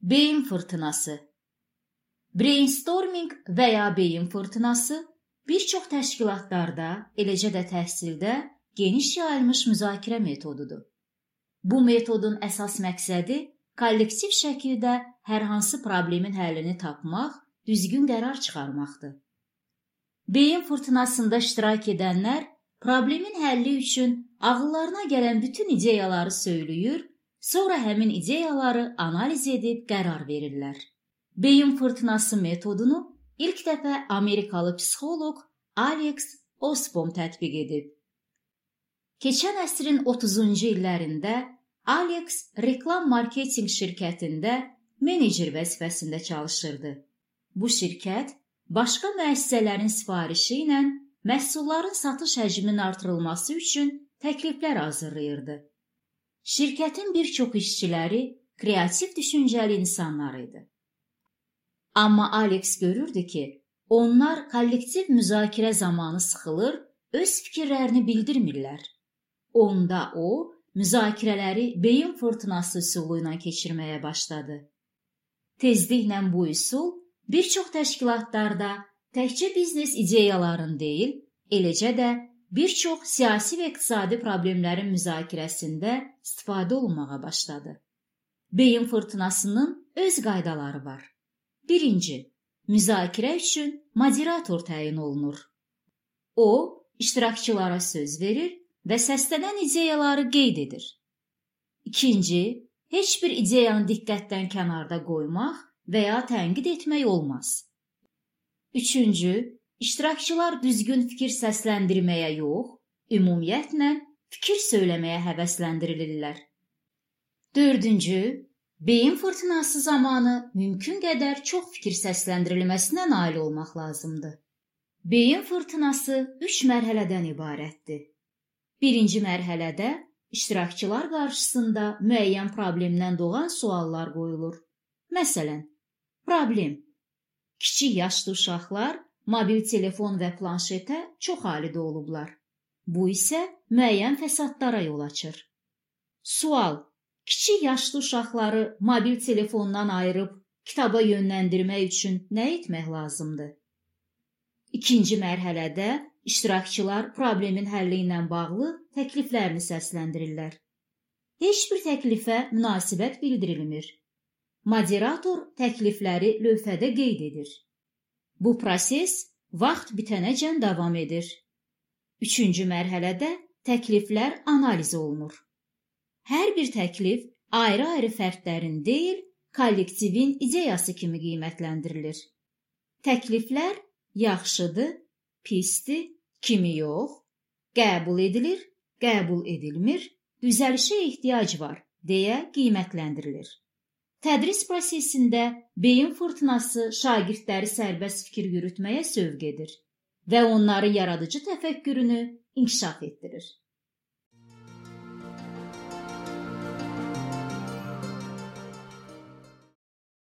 Beyin fırtınası. Brainstorming və ya beyin fırtınası bir çox təşkilatlarda, eləcə də təhsildə geniş yayılmış müzakirə metodudur. Bu metodun əsas məqsədi kollektiv şəkildə hər hansı problemin həllini tapmaq, düzgün qərar çıxarmaqdır. Beyin fırtınasında iştirak edənlər problemin həlli üçün ağıllarına gələn bütün ideyaları söyləyir, sonra həmin ideyaları analiz edib qərar verirlər. Beyin fırtınası metodunu ilk dəfə Amerikalı psixoloq Alex Osborn tətbiq edib. Keçən əsrin 30-cu illərində Alex reklam marketinq şirkətində menecer vəzifəsində çalışırdı. Bu şirkət başqa müəssisələrin sifarişi ilə məhsulların satış həcminin artırılması üçün təkliflər hazırlayırdı. Şirkətin bir çox işçiləri kreativ düşüncəli insanlar idi. Amma Alex görürdü ki, onlar kollektiv müzakirə zamanı sıxılır, öz fikirlərini bildirmirlər. Onda o, müzakirələri beyin fırtınası üsulu ilə keçirməyə başladı. Tezliklə bu üsul bir çox təşkilatlarda təkcə biznes ideyaların deyil, eləcə də bir çox siyasi və iqtisadi problemlərin müzakirəsində istifadə olunmağa başladı. Beyin fırtınasının öz qaydaları var. Birinci, müzakirə üçün moderator təyin olunur. O, iştirakçılara söz verir və səslənən ideyaları qeyd edir. İkinci, heç bir ideyanı diqqətdən kənarda qoymaq və ya tənqid etmək olmaz. Üçüncü, iştirakçılar düzgün fikir səsləndirməyə yox, ümumiyyətlə fikir söyləməyə həvəsləndirilirlər. Dördüncü, beyin fırtınası zamanı mümkün qədər çox fikir səsləndirilməsinə nail olmaq lazımdır. Beyin fırtınası 3 mərhələdən ibarətdir. Birinci mərhələdə iştirakçılar qarşısında müəyyən problemdən doğan suallar qoyulur. Məsələn, problem. Kiçik yaşlı uşaqlar mobil telefon və planşetə çox alidə olublar. Bu isə müəyyən fəsadlara yol açır. Sual. Kiçik yaşlı uşaqları mobil telefondan ayırıb kitaba yönləndirmək üçün nə etmək lazımdır? İkinci mərhələdə iştirakçılar problemin həlli ilə bağlı təkliflərini səsləndirirlər. Heç bir təklifə münasibət bildirilmir. Moderator təklifləri lövhədə qeyd edir. Bu proses vaxt bitənəcən davam edir. Üçüncü mərhələdə təkliflər analiz olunur. Hər bir təklif ayrı-ayrı fərdlərin deyil, kollektivin ideyası kimi qiymətləndirilir. Təkliflər yaxşıdır, pisdir, kimi yox, qəbul edilir, qəbul edilmir, düzəlişə ehtiyac var deyə qiymətləndirilir. Tədris prosesində beyin fırtınası şagirdləri sərbəst fikir yürütməyə sövq edir və onların yaradıcı təfəkkürünü inkişaf etdirir.